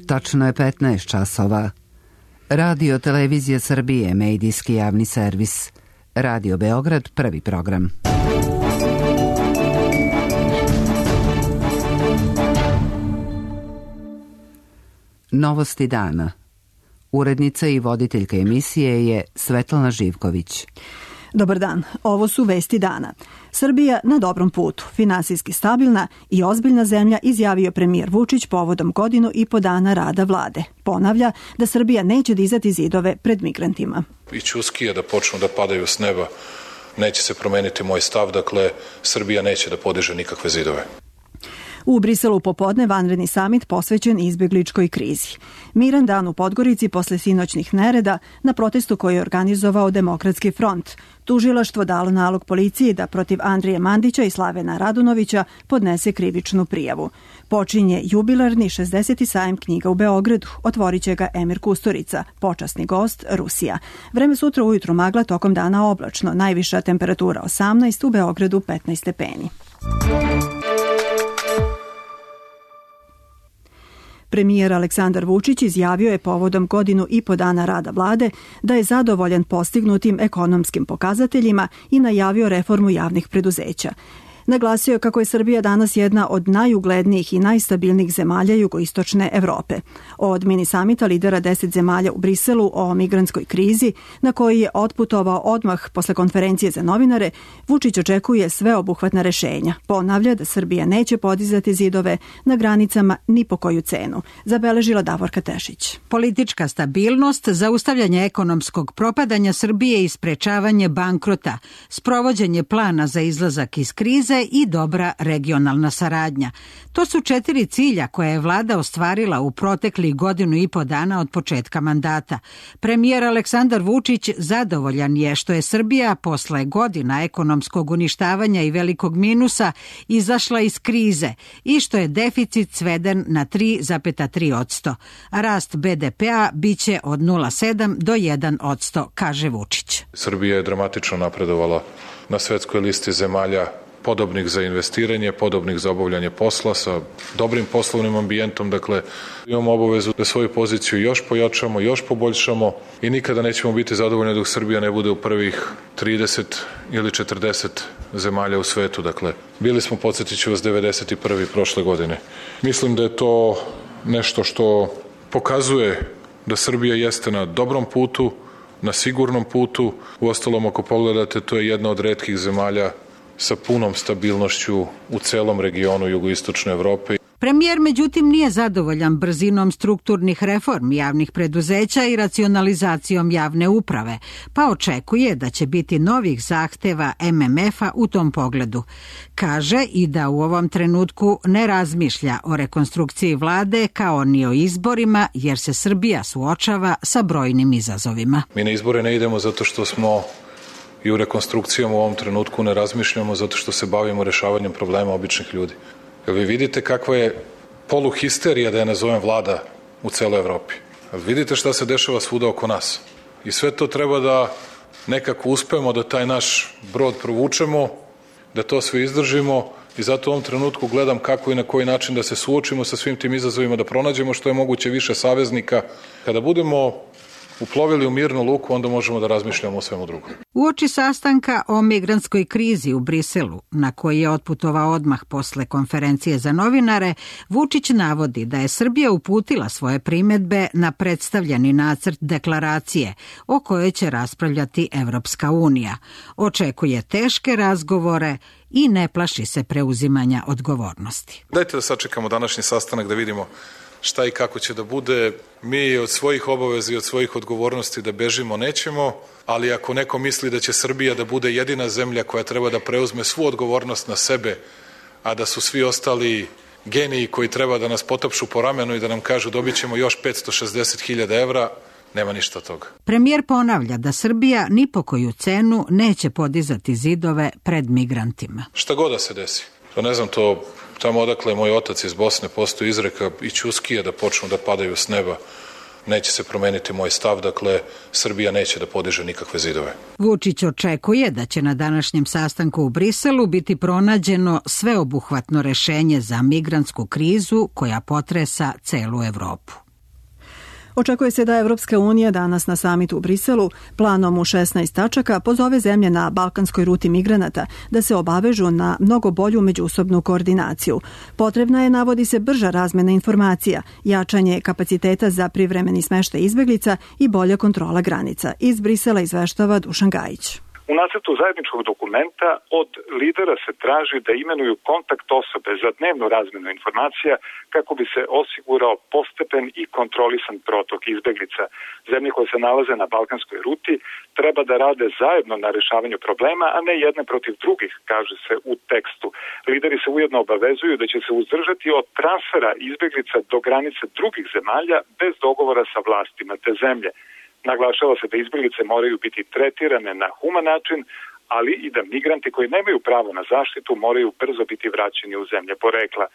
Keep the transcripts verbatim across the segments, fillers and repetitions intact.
Tačno je petnaest časova. Radio Televizija Srbije, medijski javni servis. Radio Beograd, prvi program. Novosti dana. Urednica i voditeljka emisije je Svetlana Živković. Dobar dan, ovo su vesti dana. Srbija na dobrom putu, finansijski stabilna i ozbiljna zemlja, izjavio premijer Vučić povodom godinu i po dana rada vlade. Ponavlja da Srbija neće dizati zidove pred migrantima. I ćuskije da počnu da padaju s neba, neće se promeniti moj stav, dakle Srbija neće da podiže nikakve zidove. U Briselu popodne vanredni samit posvećen izbjegličkoj krizi. Miran dan u Podgorici posle sinoćnih nereda na protestu koji je organizovao Demokratski front. Tužilaštvo dalo nalog policiji da protiv Andrije Mandića i Slavena Radunovića podnese krivičnu prijavu. Počinje jubilarni šezdeseti sajam knjiga u Beogradu. Otvorit će ga Emir Kusturica, počasni gost Rusija. Vreme sutra ujutru magla, tokom dana oblačno. Najviša temperatura osamnaest, u Beogradu petnaest stepeni. Premijer Aleksandar Vučić izjavio je povodom godinu i po dana rada vlade da je zadovoljan postignutim ekonomskim pokazateljima i najavio reformu javnih preduzeća. Naglasio je kako je Srbija danas jedna od najuglednijih i najstabilnijih zemalja jugoistočne Evrope. Od mini samita lidera deset zemalja u Briselu o migrantskoj krizi, na koji je otputovao odmah posle konferencije za novinare, Vučić očekuje sveobuhvatna rešenja. Ponavlja da Srbija neće podizati zidove na granicama ni po koju cenu, zabeležila Davorka Tešić. Politička stabilnost, zaustavljanje ekonomskog propadanja Srbije i sprečavanje bankrota, sprovođenje plana za izlazak iz krize i dobra regionalna saradnja. To su četiri cilja koje je vlada ostvarila u proteklih godinu i po dana od početka mandata. Premijer Aleksandar Vučić zadovoljan je što je Srbija posle godina ekonomskog uništavanja i velikog minusa izašla iz krize i što je deficit sveden na tri zarez tri posto. Rast be de pea biće od nula zarez sedam do jedan posto, kaže Vučić. Srbija je dramatično napredovala na svetskoj listi zemalja podobnih za investiranje, podobnih za obavljanje posla, sa dobrim poslovnim ambijentom. Dakle, imamo obavezu da svoju poziciju još pojačamo, još poboljšamo i nikada nećemo biti zadovoljni dok Srbija ne bude u prvih trideset ili četrdeset zemalja u svetu. Dakle, bili smo, podsjetit ću vas, devedeset prvi prošle godine. Mislim da je to nešto što pokazuje da Srbija jeste na dobrom putu, na sigurnom putu. Uostalom, ako pogledate, to je jedna od retkih zemalja sa punom stabilnošću u celom regionu jugoistočne Evrope. Premijer, međutim, nije zadovoljan brzinom strukturnih reformi javnih preduzeća i racionalizacijom javne uprave, pa očekuje da će biti novih zahteva em em efa u tom pogledu. Kaže i da u ovom trenutku ne razmišlja o rekonstrukciji vlade kao ni o izborima, jer se Srbija suočava sa brojnim izazovima. Mi na izbore ne idemo zato što smo i u rekonstrukcijama u ovom trenutku ne razmišljamo zato što se bavimo rešavanjem problema običnih ljudi. Jel vi vidite kakva je poluhisterija, da je nazovem, vlada u celoj Evropi? Jel vidite šta se dešava svuda oko nas? I sve to treba da nekako uspemo da taj naš brod provučemo, da to sve izdržimo i zato u ovom trenutku gledam kako i na koji način da se suočimo sa svim tim izazovima, da pronađemo što je moguće više saveznika. Kada budemo uplovili u mirnu luku, onda možemo da razmišljamo o svemu drugom. Uoči sastanka o migrantskoj krizi u Briselu, na koji je otputovao odmah posle konferencije za novinare, Vučić navodi da je Srbija uputila svoje primedbe na predstavljeni nacrt deklaracije o kojoj će raspravljati Evropska unija. Očekuje teške razgovore i ne plaši se preuzimanja odgovornosti. Dajte da sačekamo današnji sastanak da vidimo šta i kako će da bude. Mi od svojih obaveza i od svojih odgovornosti da bežimo nećemo, ali ako neko misli da će Srbija da bude jedina zemlja koja treba da preuzme svu odgovornost na sebe, a da su svi ostali geniji koji treba da nas potapšu po ramenu i da nam kažu dobit ćemo još petsto šezdeset hiljada evra, nema ništa od toga. Premijer ponavlja da Srbija ni po koju cenu neće podizati zidove pred migrantima. Šta god da se desi, to ne znam, to tamo odakle moj otac iz Bosne postoji izreka i ćuskije da počnu da padaju s neba, neće se promeniti moj stav, dakle Srbija neće da podiže nikakve zidove. Vučić očekuje da će na današnjem sastanku u Briselu biti pronađeno sveobuhvatno rešenje za migrantsku krizu koja potresa celu Evropu. Očekuje se da Evropska unija danas na samitu u Briselu planom u šesnaest tačaka pozove zemlje na balkanskoj ruti migranata da se obavežu na mnogo bolju međusobnu koordinaciju. Potrebna je, navodi se, brža razmena informacija, jačanje kapaciteta za privremeni smeštaj izbeglica i bolja kontrola granica. Iz Brisela izveštava Dušan Gajić. U nacrtu zajedničkog dokumenta od lidera se traži da imenuju kontakt osobe za dnevnu razmenu informacija kako bi se osigurao postepen i kontrolisan protok izbeglica. Zemlje koje se nalaze na balkanskoj ruti treba da rade zajedno na rešavanju problema, a ne jedne protiv drugih, kaže se u tekstu. Lideri se ujedno obavezuju da će se uzdržati od transfera izbeglica do granice drugih zemalja bez dogovora sa vlastima te zemlje. Naglašava se da izbeglice moraju biti tretirane na human način, ali i da migranti koji nemaju pravo na zaštitu moraju brzo biti vraćeni u zemlje porekla.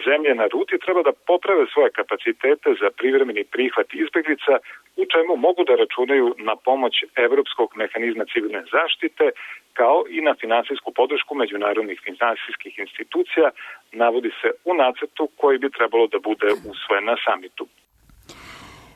Zemlje na ruti treba da poprave svoje kapacitete za privremeni prihvat izbeglica, u čemu mogu da računaju na pomoć Evropskog mehanizma civilne zaštite, kao i na finansijsku podršku međunarodnih finansijskih institucija, navodi se u nacrtu koji bi trebalo da bude usvojen na samitu.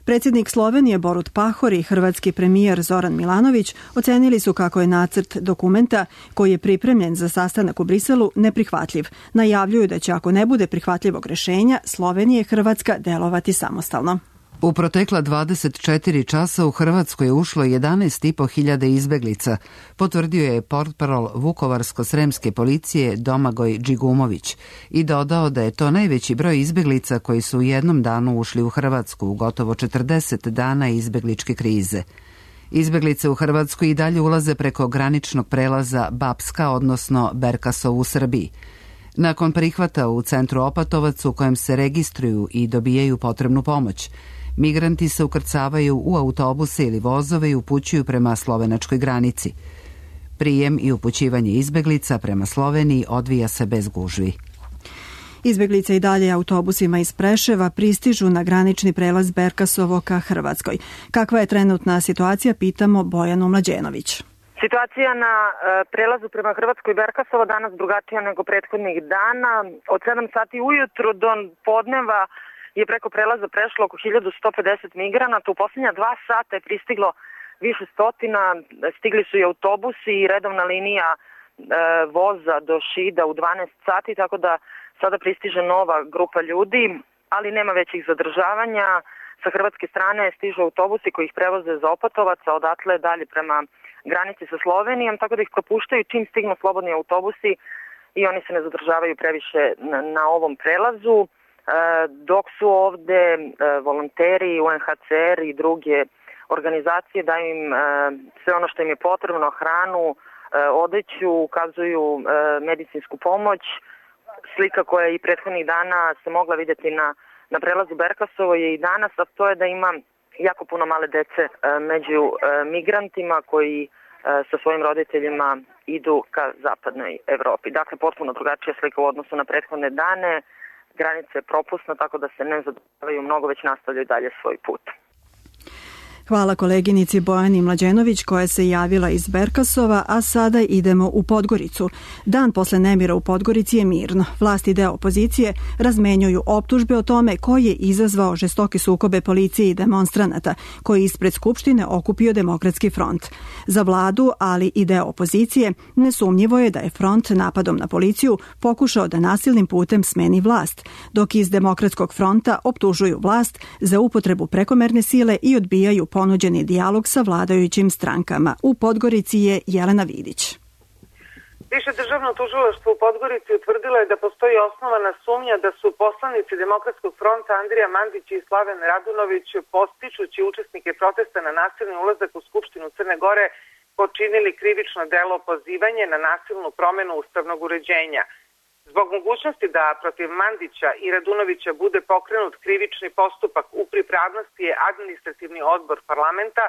Predsjednik Slovenije Borut Pahor i hrvatski premijer Zoran Milanović ocenili su kako je nacrt dokumenta koji je pripremljen za sastanak u Briselu neprihvatljiv. Najavljuju da će, ako ne bude prihvatljivog rešenja, Slovenija i Hrvatska delovati samostalno. U protekla dvadeset četiri časa u Hrvatskoj je ušlo jedanaest i po hiljada izbeglica, potvrdio je portparol Vukovarsko-sremske policije Domagoj Džigumović i dodao da je to najveći broj izbeglica koji su u jednom danu ušli u Hrvatsku u gotovo četrdeset dana izbegličke krize. Izbeglice u Hrvatsku i dalje ulaze preko graničnog prelaza Bapska, odnosno Berkasov u Srbiji. Nakon prihvata u centru Opatovac u kojem se registruju i dobijaju potrebnu pomoć, migranti se ukrcavaju u autobuse ili vozove i upućuju prema slovenačkoj granici. Prijem i upućivanje izbeglica prema Sloveniji odvija se bez gužvi. Izbeglice i dalje autobusima iz Preševa pristižu na granični prelaz Berkasovo ka Hrvatskoj. Kakva je trenutna situacija, pitamo Bojanu Mlađenović. Situacija na prelazu prema Hrvatskoj Berkasovo danas drugačija nego prethodnih dana. Od sedam sati ujutru do podneva je preko prelaza prešlo oko hiljadu sto pedeset migranata. U posljednja dva sata je pristiglo više stotina, stigli su i autobusi i redovna linija e, voza do Šida u dvanaest sati, tako da sada pristiže nova grupa ljudi, ali nema većih zadržavanja. Sa hrvatske strane stižu autobusi koji ih prevoze za Opatovac, a odatle dalje prema granici sa Slovenijom, tako da ih propuštaju čim stignu slobodni autobusi i oni se ne zadržavaju previše na, na ovom prelazu. E, dok su ovde e, volonteri, U N H C R i druge organizacije daju im e, sve ono što im je potrebno, hranu, e, odeću, ukazuju e, medicinsku pomoć. Slika koja je i prethodnih dana se mogla vidjeti na, na prelazu Berkasovo je i danas, a to je da ima jako puno male dece e, među e, migrantima koji e, sa svojim roditeljima idu ka zapadnoj Evropi. Dakle, potpuno drugačija slika u odnosu na prethodne dane. Granica je propusna, tako da se ne zadržavaju mnogo, već nastavljaju dalje svoj put. Hvala koleginici Bojani Mlađenović koja se javila iz Berkasova, a sada idemo u Podgoricu. Dan posle nemira u Podgorici je mirno. Vlasti i deo opozicije razmenjuju optužbe o tome ko je izazvao žestoke sukobe policije i demonstranata, koji ispred Skupštine okupio Demokratski front. Za vladu, ali i deo opozicije, nesumnjivo je da je front napadom na policiju pokušao da nasilnim putem smeni vlast, dok iz Demokratskog fronta optužuju vlast za upotrebu prekomerne sile i odbijaju ponuđeni dijalog sa vladajućim strankama. U Podgorici je Jelena Vidić. Više državno tužilaštvo u Podgorici utvrdilo je da postoji osnovana sumnja da su poslanici Demokratskog fronta Andrija Mandić i Slaven Radunović, podstičući učesnike protesta na nasilni ulazak u Skupštinu Crne Gore, počinili krivično delo pozivanje na nasilnu promenu ustavnog uređenja. Zbog mogućnosti da protiv Mandića i Radunovića bude pokrenut krivični postupak, u pripravnosti je administrativni odbor parlamenta,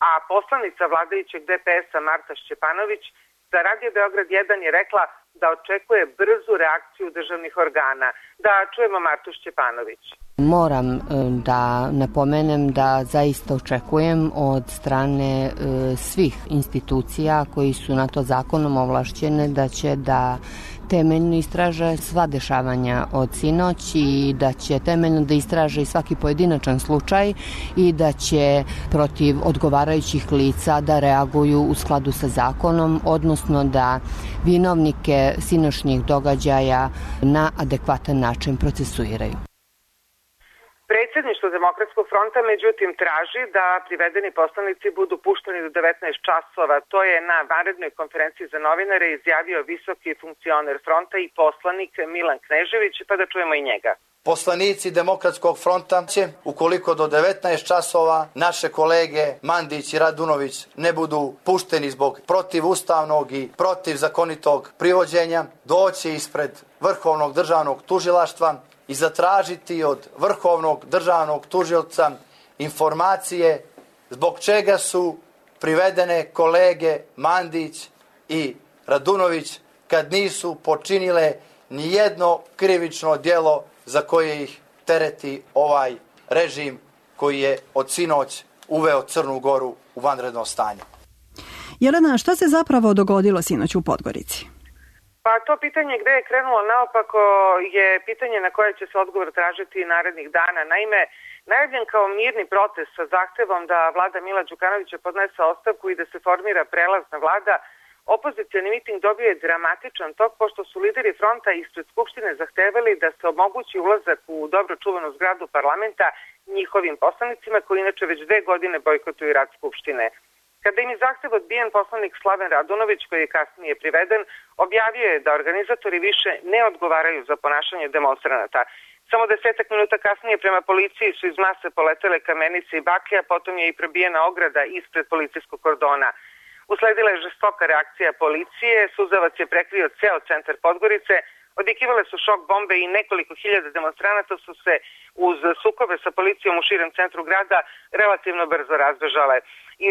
a poslanica vladajućeg D P S-a Marta Šćepanović za Radio Beograd jedan je rekla da očekuje brzu reakciju državnih organa. Da čujemo Martu Šćepanović. Moram da napomenem da zaista očekujem od strane e, svih institucija koji su na to zakonom ovlašćene da će da temeljno istraže sva dešavanja od sinoć i da će temeljno da istraže i svaki pojedinačan slučaj i da će protiv odgovarajućih lica da reaguju u skladu sa zakonom, odnosno da vinovnike sinoćnjih događaja na adekvatan način procesuiraju. Predsjedništvo Demokratskog fronta međutim traži da privedeni poslanici budu pušteni do devetnaest časova. To je na vanrednoj konferenciji za novinare izjavio visoki funkcioner fronta i poslanik Milan Knežević, pa da čujemo i njega. Poslanici Demokratskog fronta će, ukoliko do devetnaest časova naše kolege Mandić i Radunović ne budu pušteni zbog protivustavnog i protivzakonitog privođenja, doći ispred Vrhovnog državnog tužilaštva i zatražiti od Vrhovnog državnog tužioca informacije zbog čega su privedene kolege Mandić i Radunović kad nisu počinile ni jedno krivično djelo za koje ih tereti ovaj režim koji je od sinoć uveo Crnu Goru u vanredno stanje. Jelena, šta se zapravo dogodilo sinoć u Podgorici? Pa to pitanje gde je krenulo naopako je pitanje na koje će se odgovor tražiti narednih dana. Naime, najavljen kao mirni protest sa zahtevom da vlada Mila Đukanovića podnese ostavku i da se formira prelazna vlada, opozicioni miting dobio je dramatičan tok pošto su lideri fronta ispred Skupštine zahtevali da se omogući ulazak u dobro čuvanu zgradu parlamenta njihovim poslanicima koji inače već dve godine bojkotuju rad Skupštine. Kada im je zahtev odbijen, poslanik Slaven Radunović, koji je kasnije priveden, objavio je da organizatori više ne odgovaraju za ponašanje demonstranata. Samo desetak minuta kasnije prema policiji su iz mase poletele kamenice i baklje, a potom je i probijena ograda ispred policijskog kordona. Usledila je žestoka reakcija policije, suzavac je prekrio ceo centar Podgorice, odjekivale su šok bombe i nekoliko hiljada demonstranata su se uz sukobe sa policijom u širem centru grada relativno brzo razbežale.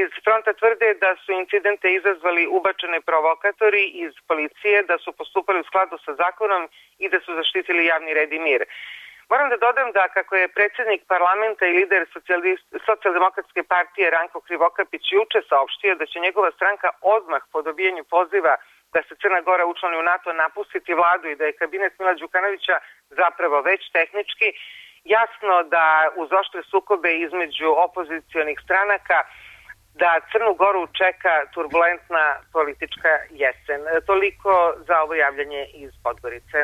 Iz fronta tvrde da su incidente izazvali ubačene provokatori iz policije, da su postupali u skladu sa zakonom i da su zaštitili javni red i mir. Moram da dodam da kako je predsjednik parlamenta i lider socijaldemokratske partije Ranko Krivokapić juče saopštio da će njegova stranka odmah po dobijanju poziva da se Crna Gora učlani u NATO napustiti vladu i da je kabinet Mila Đukanovića zapravo već tehnički, jasno da uz oštre sukobe između opozicionih stranaka da Crnu Goru čeka turbulentna politička jesen. Toliko za ovo javljanje iz Podgorice.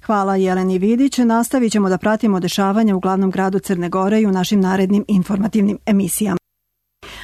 Hvala Jeleni Vidić. Nastavit ćemo da pratimo dešavanja u glavnom gradu Crne Gore i u našim narednim informativnim emisijama.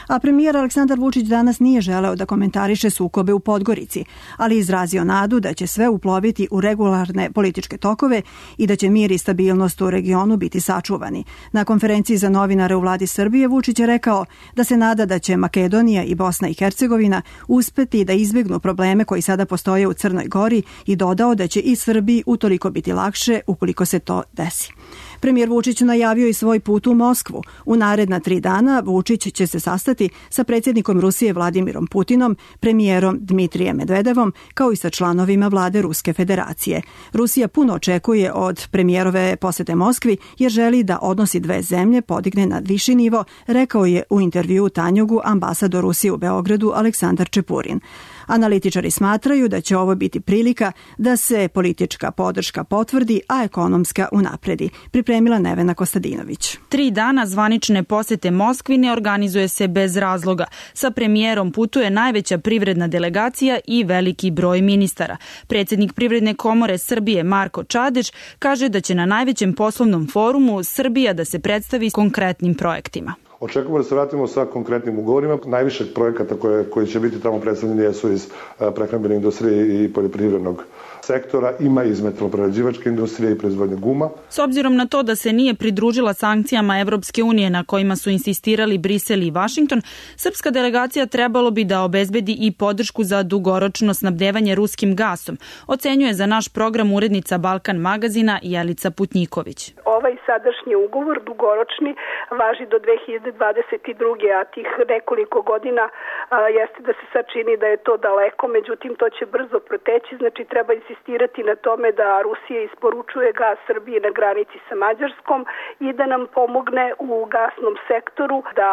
A premijer Aleksandar Vučić danas nije želeo da komentariše sukobe u Podgorici, ali izrazio nadu da će sve uploviti u regularne političke tokove i da će mir i stabilnost u regionu biti sačuvani. Na konferenciji za novinare u vladi Srbije Vučić je rekao da se nada da će Makedonija i Bosna i Hercegovina uspeti da izbjegnu probleme koji sada postoje u Crnoj Gori i dodao da će i Srbiji utoliko biti lakše ukoliko se to desi. Premijer Vučić najavio i svoj put u Moskvu. U naredna tri dana Vučić će se sastati sa predsjednikom Rusije Vladimirom Putinom, premijerom Dmitrijem Medvedevom, kao i sa članovima vlade Ruske federacije. Rusija puno očekuje od premijerove posete Moskvi jer želi da odnosi dve zemlje podigne na viši nivo, rekao je u intervjuu Tanjugu ambasador Rusije u Beogradu Aleksandar Čepurin. Analitičari smatraju da će ovo biti prilika da se politička podrška potvrdi, a ekonomska unapredi. Pripremila Nevena Kostadinović. Tri dana zvanične posete Moskvi ne organizuje se bez razloga. Sa premijerom putuje najveća privredna delegacija i veliki broj ministara. Predsjednik Privredne komore Srbije Marko Čadež kaže da će na najvećem poslovnom forumu Srbija da se predstavi konkretnim projektima. Očekujemo da se vratimo sa konkretnim ugovorima. Najviše projekata koje, koji će biti tamo predstavljeni jesu iz prehrambene industrije i poljoprivrednog sektora, ima iz metaloprerađivačke industrije i proizvodnje guma. S obzirom na to da se nije pridružila sankcijama Evropske unije na kojima su insistirali Brisel i Vašington, srpska delegacija trebalo bi da obezbedi i podršku za dugoročno snabdevanje ruskim gasom, ocenjuje za naš program urednica Balkan magazina Jelica Putnjiković. Ovaj sadašnji ugovor, dugoročni, važi do dve hiljade dvadeset druge. a tih nekoliko godina a, jeste da se sad čini da je to daleko, međutim to će brzo proteći, znači treba insistirati na tome da Rusija isporučuje gas Srbiji na granici sa Mađarskom i da nam pomogne u gasnom sektoru da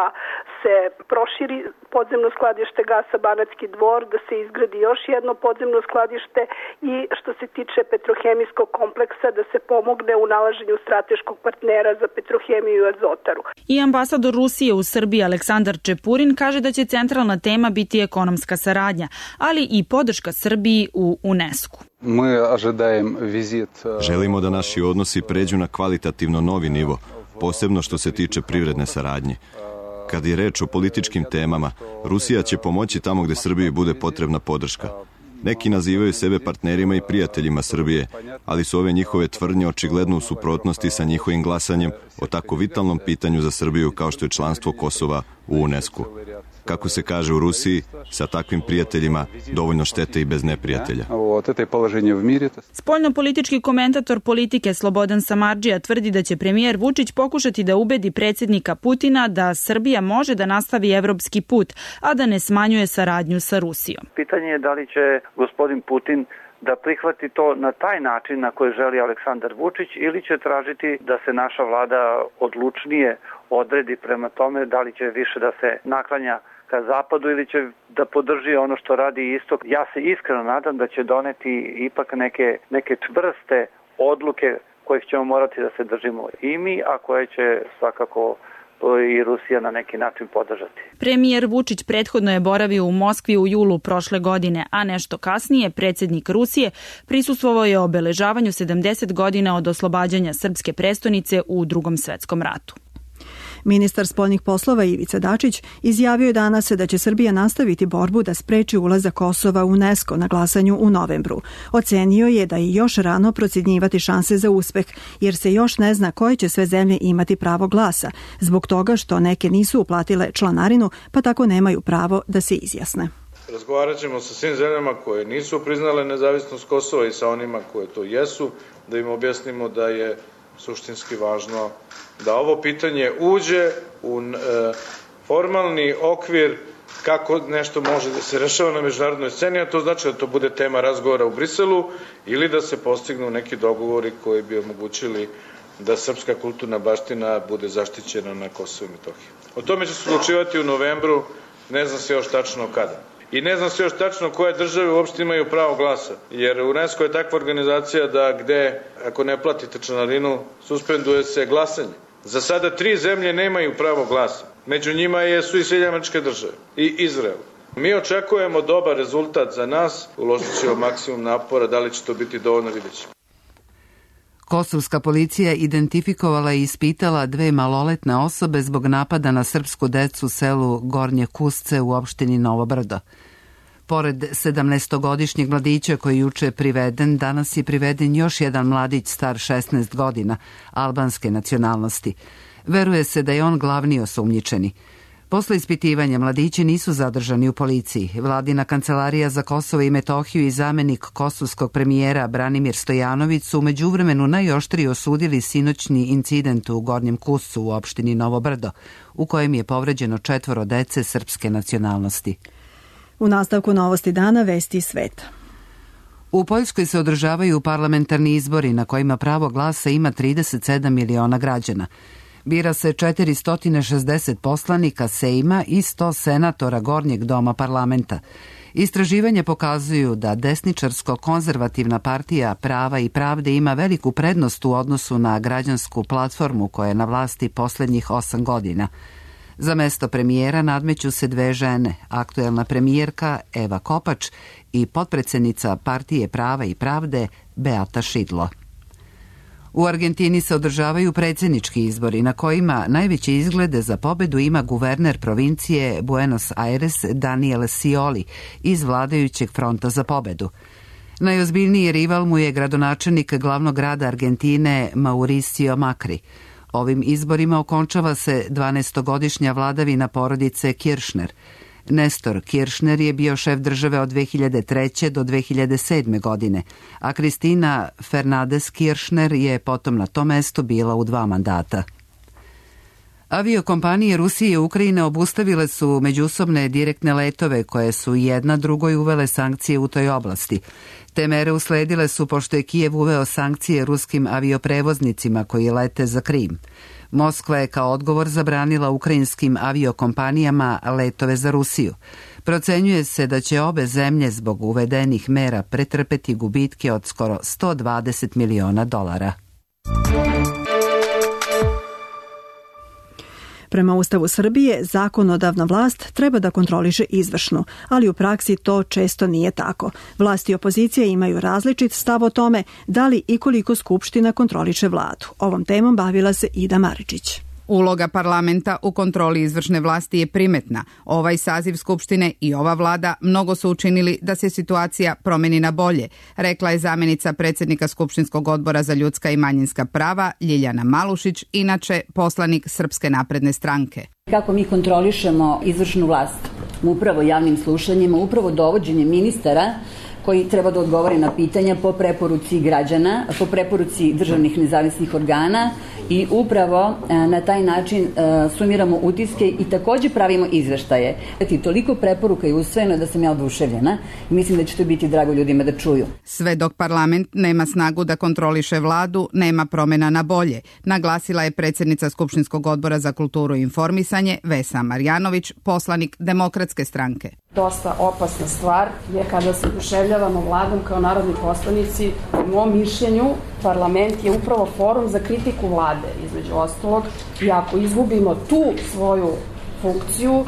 se proširi podzemno skladište gasa Banatski Dvor, da se izgradi još jedno podzemno skladište i što se tiče petrohemijskog kompleksa da se pomogne u nalaženju strateškog partnera za Petrohemiju i Azotaru. I ambasador Rusije u Srbiji Aleksandar Čepurin kaže da će centralna tema biti ekonomska saradnja, ali i podrška Srbiji u UNESCO. Želimo da naši odnosi pređu na kvalitativno novi nivo, posebno što se tiče privredne saradnje. Kad je reč o političkim temama, Rusija će pomoći tamo gde Srbiji bude potrebna podrška. Neki nazivaju sebe partnerima i prijateljima Srbije, ali su ove njihove tvrdnje očigledno u suprotnosti sa njihovim glasanjem o tako vitalnom pitanju za Srbiju kao što je članstvo Kosova u UNESCO. Kako se kaže u Rusiji, sa takvim prijateljima dovoljno štete i bez neprijatelja. Spoljnopolitički komentator politike Slobodan Samardžija tvrdi da će premijer Vučić pokušati da ubedi predsjednika Putina da Srbija može da nastavi evropski put, a da ne smanjuje saradnju sa Rusijom. Pitanje je da li će gospodin Putin da prihvati to na taj način na koji želi Aleksandar Vučić ili će tražiti da se naša vlada odlučnije odredi prema tome da li će više da se naklanja ka zapadu ili će da podrži ono što radi istok. Ja se iskreno nadam da će doneti ipak neke, neke čvrste odluke kojih ćemo morati da se držimo i mi, a koje će svakako i Rusija na neki način podržati. Premijer Vučić prethodno je boravio u Moskvi u julu prošle godine, a nešto kasnije predsjednik Rusije prisustvovao je obeležavanju sedamdeset godina od oslobađanja srpske prestonice u Drugom svetskom ratu. Ministar spoljnih poslova Ivica Dačić izjavio je danas da će Srbija nastaviti borbu da spreči ulazak Kosova u UNESCO na glasanju u novembru. Ocenio je da je još rano procjenjivati šanse za uspeh, jer se još ne zna koje će sve zemlje imati pravo glasa, zbog toga što neke nisu uplatile članarinu, pa tako nemaju pravo da se izjasne. Razgovarat ćemo sa svim zemljama koje nisu priznale nezavisnost Kosova i sa onima koje to jesu, da im objasnimo da je suštinski važno da ovo pitanje uđe u e, formalni okvir kako nešto može da se rešava na međunarodnoj sceni, a to znači da to bude tema razgovora u Briselu ili da se postignu neki dogovori koji bi omogućili da srpska kulturna baština bude zaštićena na Kosovu i Metohiji. O tome će se odlučivati u novembru, ne znam se još tačno kada. I ne znam se još tačno koje države uopšte imaju pravo glasa, jer UNESCO je takva organizacija da gde, ako ne platite članarinu, suspenduje se glasanje. Za sada tri zemlje nemaju pravo glasa. Među njima je, su i Sjedinjene Američke Države i Izrael. Mi očekujemo dobar rezultat za nas, uložit ćemo maksimum napora, da li će to biti dovoljno, vidjet ćemo. Kosovska policija identifikovala i ispitala dve maloletne osobe zbog napada na srpsku decu u selu Gornje Kusce u opštini Novo Brdo. Pored sedamnaestogodišnjeg mladića koji je juče priveden, danas je priveden još jedan mladić star šesnaest godina, albanske nacionalnosti. Veruje se da je on glavni osumnjičeni. Posle ispitivanja mladići nisu zadržani u policiji. Vladina kancelarija za Kosovo i Metohiju i zamenik kosovskog premijera Branimir Stojanović su međuvremenu najoštrije osudili sinoćni incident u Gornjem Kuscu u opštini Novo Brdo, u kojem je povređeno četvoro dece srpske nacionalnosti. U nastavku novosti dana vesti sveta. U Poljskoj se održavaju parlamentarni izbori na kojima pravo glasa ima trideset sedam miliona građana. Bira se četiristo šezdeset poslanika Sejma i sto senatora Gornjeg doma parlamenta. Istraživanje pokazuju da desničarsko-konzervativna partija Prava i pravde ima veliku prednost u odnosu na građansku platformu koja je na vlasti poslednjih osam godina. Za mesto premijera nadmeću se dve žene, aktuelna premijerka Eva Kopač i potpredsednica partije Prava i pravde Beata Šidlo. U Argentini se održavaju predsjednički izbori na kojima najveće izglede za pobedu ima guverner provincije Buenos Aires Daniel Scioli iz vladajućeg fronta za pobedu. Najozbiljniji rival mu je gradonačelnik glavnog grada Argentine Mauricio Macri. Ovim izborima okončava se dvanaestogodišnja vladavina porodice Kirchner. Nestor Kirchner je bio šef države od dve hiljade treće do dve hiljade sedme godine, a Kristina Fernandez Kirchner je potom na tom mestu bila u dva mandata. Aviokompanije Rusije i Ukrajine obustavile su međusobne direktne letove koje su jedna drugoj uvele sankcije u toj oblasti. Te mere usledile su pošto je Kijev uveo sankcije ruskim avioprevoznicima koji lete za Krim. Moskva je kao odgovor zabranila ukrajinskim aviokompanijama letove za Rusiju. Procenjuje se da će obe zemlje zbog uvedenih mera pretrpeti gubitke od skoro sto dvadeset miliona dolara. Prema Ustavu Srbije, zakonodavna vlast treba da kontroliše izvršnu, ali u praksi to često nije tako. Vlast i opozicija imaju različit stav o tome da li i koliko Skupština kontroliše vladu. Ovom temom bavila se Ida Maričić. Uloga parlamenta u kontroli izvršne vlasti je primetna. Ovaj saziv Skupštine i ova vlada mnogo su učinili da se situacija promeni na bolje, rekla je zamenica predsjednika Skupštinskog odbora za ljudska i manjinska prava Ljiljana Malušić, inače poslanik Srpske napredne stranke. Kako mi kontrolišemo izvršnu vlast? Upravo javnim slušanjima, upravo dovođenjem ministara koji treba da odgovore na pitanja po preporuci građana, po preporuci državnih nezavisnih organa i upravo na taj način sumiramo utiske i takođe pravimo izveštaje. Toliko preporuka je usvojeno da sam ja oduševljena i mislim da će to biti drago ljudima da čuju. Sve dok parlament nema snagu da kontroliše vladu, nema promena na bolje, naglasila je predsjednica Skupštinskog odbora za kulturu i informisanje Vesa Marjanović, poslanik Demokratske stranke. Dosta opasna stvar je kada se oduševljavamo vladom kao narodni poslanici. U mom mišljenju, parlament je upravo forum za kritiku vlade, između ostalog. I ako izgubimo tu svoju funkciju,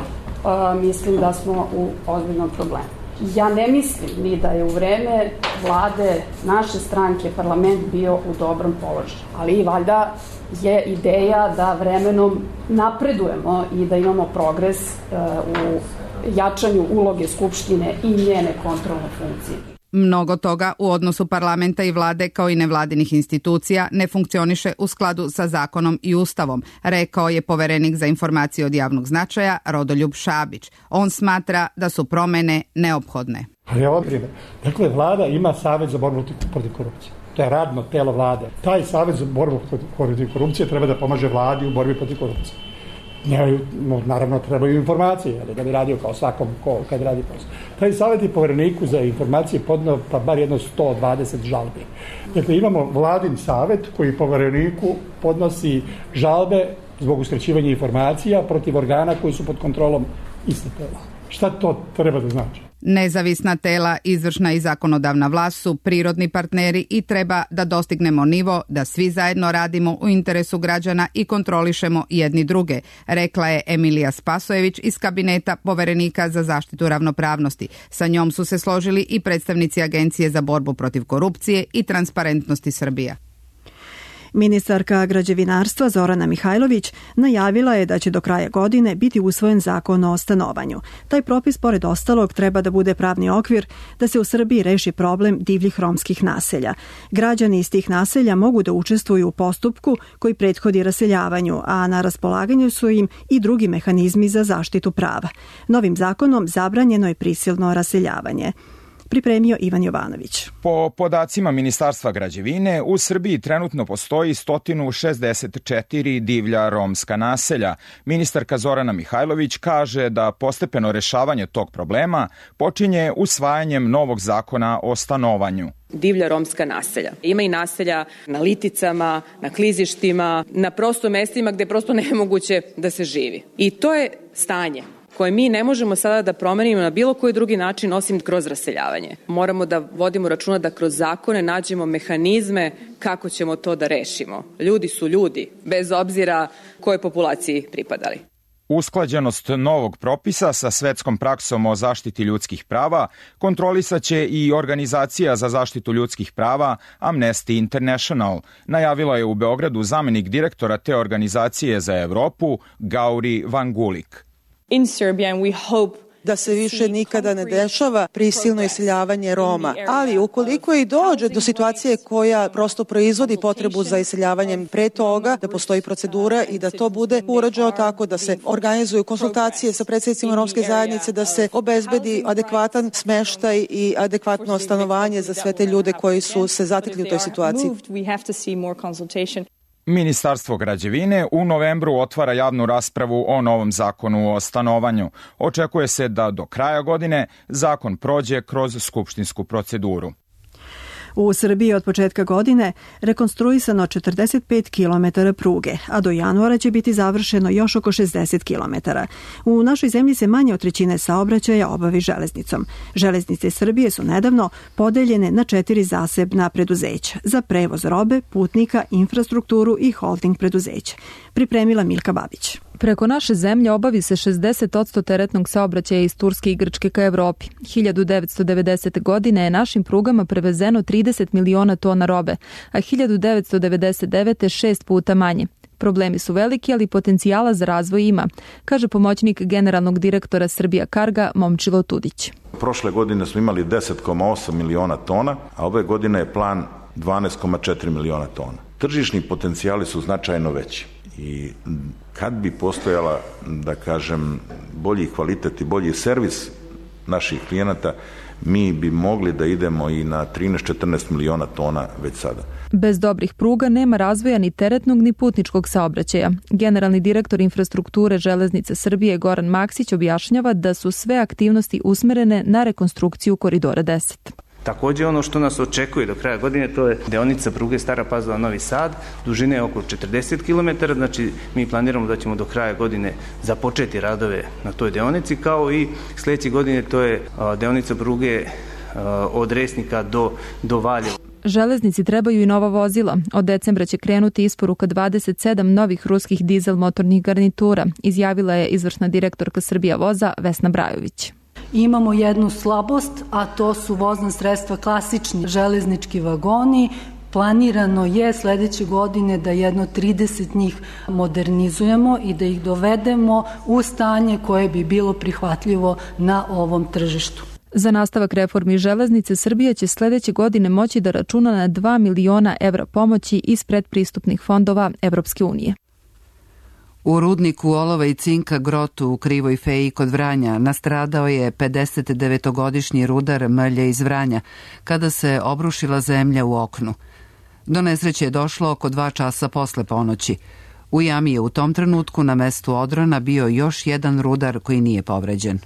mislim da smo u ozbiljnom problemu. Ja ne mislim ni da je u vreme vlade naše stranke parlament bio u dobrom položaju, ali i valjda je ideja da vremenom napredujemo i da imamo progres u jačanju uloge Skupštine i njene kontrolne funkcije. Mnogo toga u odnosu parlamenta i vlade kao i nevladinih institucija ne funkcioniše u skladu sa zakonom i ustavom, rekao je poverenik za informacije od javnog značaja Rodoljub Šabić. On smatra da su promene neophodne. Ali ovo primjer. Dakle, vlada ima Savet za borbu protiv korupcije. To je radno telo vlade. Taj Savet za borbu protiv korupcije treba da pomaže vladi u borbi protiv korupcije. Njaju, naravno, trebaju informacije, ali da bi radio kao svakom ko kad radi posao. Taj savjet je povereniku za informacije podneo pa bar jedno sto dvadeset žalbi. Dakle, imamo vladin savjet koji povereniku podnosi žalbe zbog uskraćivanja informacija protiv organa koji su pod kontrolom iste tela. Šta to treba da znači? Nezavisna tela, izvršna i zakonodavna vlast su prirodni partneri i treba da dostignemo nivo da svi zajedno radimo u interesu građana i kontrolišemo jedni druge, rekla je Emilija Spasojević iz kabineta poverenika za zaštitu ravnopravnosti. Sa njom su se složili i predstavnici Agencije za borbu protiv korupcije i transparentnosti Srbija. Ministarka građevinarstva Zorana Mihajlović najavila je da će do kraja godine biti usvojen zakon o stanovanju. Taj propis, pored ostalog, treba da bude pravni okvir da se u Srbiji reši problem divljih romskih naselja. Građani iz tih naselja mogu da učestvuju u postupku koji prethodi raseljavanju, a na raspolaganju su im i drugi mehanizmi za zaštitu prava. Novim zakonom zabranjeno je prisilno raseljavanje. Pripremio Ivan Jovanović. Po podacima Ministarstva građevine, u Srbiji trenutno postoji sto šezdeset četiri divlja romska naselja. Ministarka Zorana Mihajlović kaže da postepeno rešavanje tog problema počinje usvajanjem novog zakona o stanovanju. Divlja romska naselja. Ima i naselja na liticama, na klizištima, na prosto mestima gde prosto nemoguće da se živi. I to je stanje koje mi ne možemo sada da promenimo na bilo koji drugi način osim kroz raseljavanje. Moramo da vodimo računa da kroz zakone nađemo mehanizme kako ćemo to da rešimo. Ljudi su ljudi, bez obzira kojoj populaciji pripadali. Usklađenost novog propisa sa svetskom praksom o zaštiti ljudskih prava kontrolisaće i Organizacija za zaštitu ljudskih prava Amnesty International. Najavila je u Beogradu zamenik direktora te organizacije za Evropu Gauri Vangulik. In Serbia, and we hope da se više nikada ne dešava prisilno iseljavanje Roma, ali ukoliko i dođe do situacije koja prosto proizvodi potrebu za iseljavanjem pre toga, da postoji procedura i da to bude urađeno tako da se organizuju konsultacije sa predsjednicima romske zajednice, da se obezbedi adekvatan smeštaj i adekvatno stanovanje za sve te ljude koji su se zatekli u toj situaciji. Ministarstvo građevine u novembru otvara javnu raspravu o novom zakonu o stanovanju. Očekuje se da do kraja godine zakon prođe kroz skupštinsku proceduru. U Srbiji od početka godine rekonstruisano četrdeset pet kilometara pruge, a do januara će biti završeno još oko šezdeset kilometara. U našoj zemlji se manje od trećine saobraćaja obavi železnicom. Železnice Srbije su nedavno podeljene na četiri zasebna preduzeća za prevoz robe, putnika, infrastrukturu i holding preduzeća. Pripremila Milka Babić. Preko naše zemlje obavi se šezdeset posto teretnog saobraćaja iz Turske i Grčke ka Evropi. hiljadu devetsto devedesete. godine je našim prugama prevezeno trideset miliona tona robe, a hiljadu devetsto devedeset devete. šest puta manje. Problemi su veliki, ali potencijala za razvoj ima, kaže pomoćnik generalnog direktora Srbija Karga Momčilo Tudić. Prošle godine smo imali deset zarez osam miliona tona, a ove godine je plan dvanaest zarez četiri miliona tona. Tržišni potencijali su značajno veći i kad bi postojala, da kažem, bolji kvalitet i bolji servis naših klijenata, mi bi mogli da idemo i na trinaest do četrnaest miliona tona već sada. Bez dobrih pruga nema razvoja ni teretnog ni putničkog saobraćaja. Generalni direktor infrastrukture Železnice Srbije Goran Maksić objašnjava da su sve aktivnosti usmerene na rekonstrukciju Koridora deset. Također ono što nas očekuje do kraja godine, to je deonica pruge Stara Pazova Novi Sad, dužine je oko četrdeset kilometara, znači mi planiramo da ćemo do kraja godine započeti radove na toj deonici, kao i sljedeće godine to je deonica pruge od Resnika do, do Valjeva. Železnici trebaju i nova vozila. Od decembra će krenuti isporuka dvadeset sedam novih ruskih dizel motornih garnitura, izjavila je izvršna direktorka Srbija voza Vesna Brajović. Imamo jednu slabost, a to su vozna sredstva klasični železnički vagoni. Planirano je sledeće godine da jedno trideset njih modernizujemo i da ih dovedemo u stanje koje bi bilo prihvatljivo na ovom tržištu. Za nastavak reformi železnice Srbija će sledeće godine moći da računa na dva miliona evra pomoći iz predpristupnih fondova Evropske unije. U rudniku olova i cinka Grotu u Krivoj Feji kod Vranja nastradao je pedesetdevetogodišnji rudar Mrlje iz Vranja kada se obrušila zemlja u oknu. Do nesreće je došlo oko dva časa posle ponoći. U jami je u tom trenutku na mestu odrona bio još jedan rudar koji nije povređen.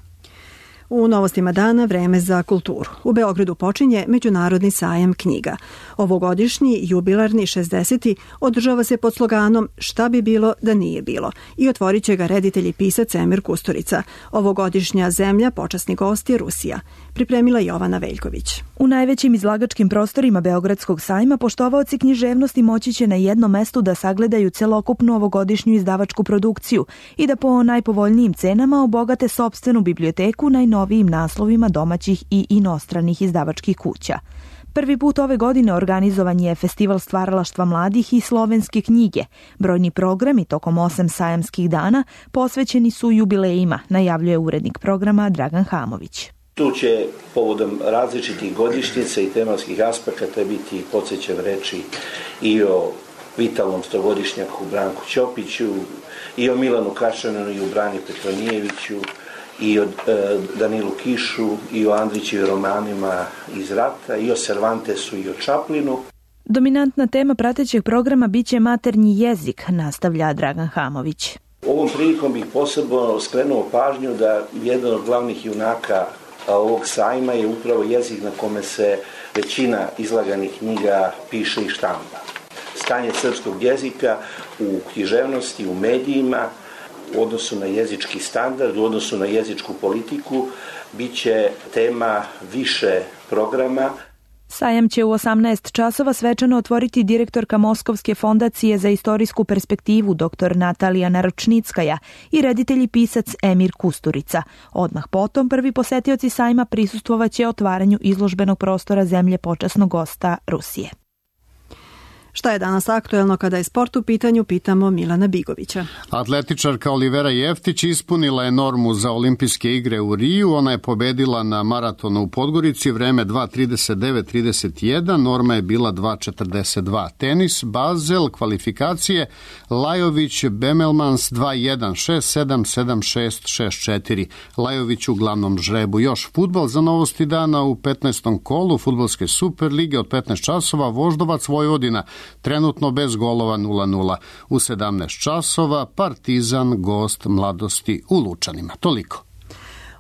U novostima dana vreme za kulturu. U Beogradu počinje Međunarodni sajam knjiga. Ovogodišnji jubilarni šezdeseti održava se pod sloganom Šta bi bilo da nije bilo i otvorit će ga reditelj i pisac Emir Kusturica. Ovogodišnja zemlja, počasni gost je Rusija. Pripremila Jovana Veljković. U najvećim izlagačkim prostorima Beogradskog sajma poštovaoci književnosti moći će na jednom mestu da sagledaju celokupnu ovogodišnju izdavačku produkciju i da po najpovoljnijim cenama obogate sopstvenu biblioteku najnovijim naslovima domaćih i inostranih izdavačkih kuća. Prvi put ove godine organizovan je Festival stvaralaštva mladih i slovenske knjige. Brojni programi tokom osam sajamskih dana posvećeni su jubilejima, najavljuje urednik programa Dragan Hamović. Tu će povodom različitih godišnjica i tematskih aspekata biti podsjećan reči i o vitalnom stogodišnjaku Branku Ćopiću, i o Milanu Kašaninu i o Brani Petronijeviću, i o e, Danilu Kišu, i o Andrićevim romanima iz rata, i o Cervantesu i o Čaplinu. Dominantna tema pratećeg programa biće maternji jezik, nastavlja Dragan Hamović. Ovom prilikom bih posebno skrenuo pažnju da jedan od glavnih junaka ovog sajma je upravo jezik na kome se većina izlaganih knjiga piše i štampa. Stanje srpskog jezika u književnosti, u medijima, u odnosu na jezički standard, u odnosu na jezičku politiku, bit će tema više programa. Sajam će u osamnaest časova svečano otvoriti direktorka Moskovske fondacije za istorijsku perspektivu dr. Natalija Naručnickaja i reditelj i pisac Emir Kusturica. Odmah potom prvi posetioci sajma prisustvovaće otvaranju izložbenog prostora zemlje počasnog gosta Rusije. Šta je danas aktuelno kada je sport u pitanju, pitamo Milana Bigovića. Atletičarka Olivera Jeftić ispunila je normu za olimpijske igre u Riju. Ona je pobedila na maratonu u Podgorici, vreme dva trideset devet trideset jedan, norma je bila dva četrdeset dva. Tenis, Basel, kvalifikacije, Lajović, Bemelmans dva jedan šest sedam sedam šest šest četiri. Lajović u glavnom žrebu. Još fudbal za novosti dana u petnaestom kolu fudbalske Super lige od petnaest časova, Voždovac Vojvodina, trenutno bez golova nula nula. U sedamnaest časova Partizan gost Mladosti u Lučanima. Toliko.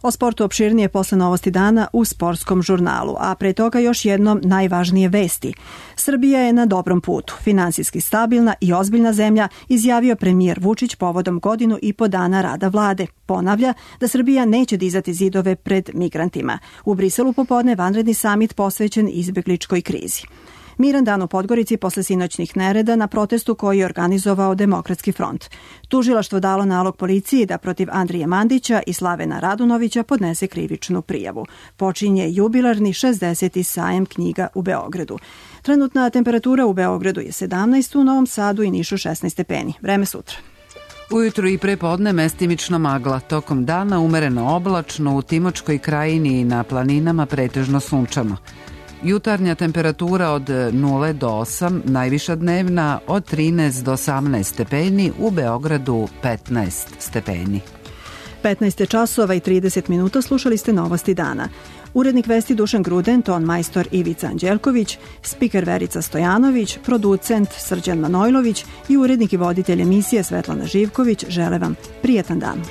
O sportu opširnije posle novosti dana u sportskom žurnalu, a pre toga još jednom najvažnije vesti. Srbija je na dobrom putu, finansijski stabilna i ozbiljna zemlja, izjavio premijer Vučić povodom godinu i po dana rada vlade. Ponavlja da Srbija neće dizati zidove pred migrantima. U Briselu popodne vanredni samit posvećen izbegličkoj krizi. Miran dan u Podgorici posle sinoćnih nereda na protestu koji je organizovao Demokratski front. Tužilaštvo dalo nalog policiji da protiv Andrije Mandića i Slavena Radunovića podnese krivičnu prijavu. Počinje jubilarni šezdeseti sajam knjiga u Beogradu. Trenutna temperatura u Beogradu je sedamnaest, u Novom Sadu i Nišu šesnaest stepeni. Vreme sutra. Ujutru i prepodne mestimično magla, tokom dana umereno oblačno, u Timočkoj krajini i na planinama pretežno sunčano. Jutarnja temperatura od nula do osam, najviša dnevna od trinaest do osamnaest stepeni, u Beogradu petnaest stepeni. petnaest časova i trideset minuta, slušali ste novosti dana. Urednik vesti Dušan Gruden, ton majstor Ivica Anđelković, spiker Verica Stojanović, producent Srđan Manojlović i urednik i voditelj emisije Svetlana Živković žele vam prijetan dan.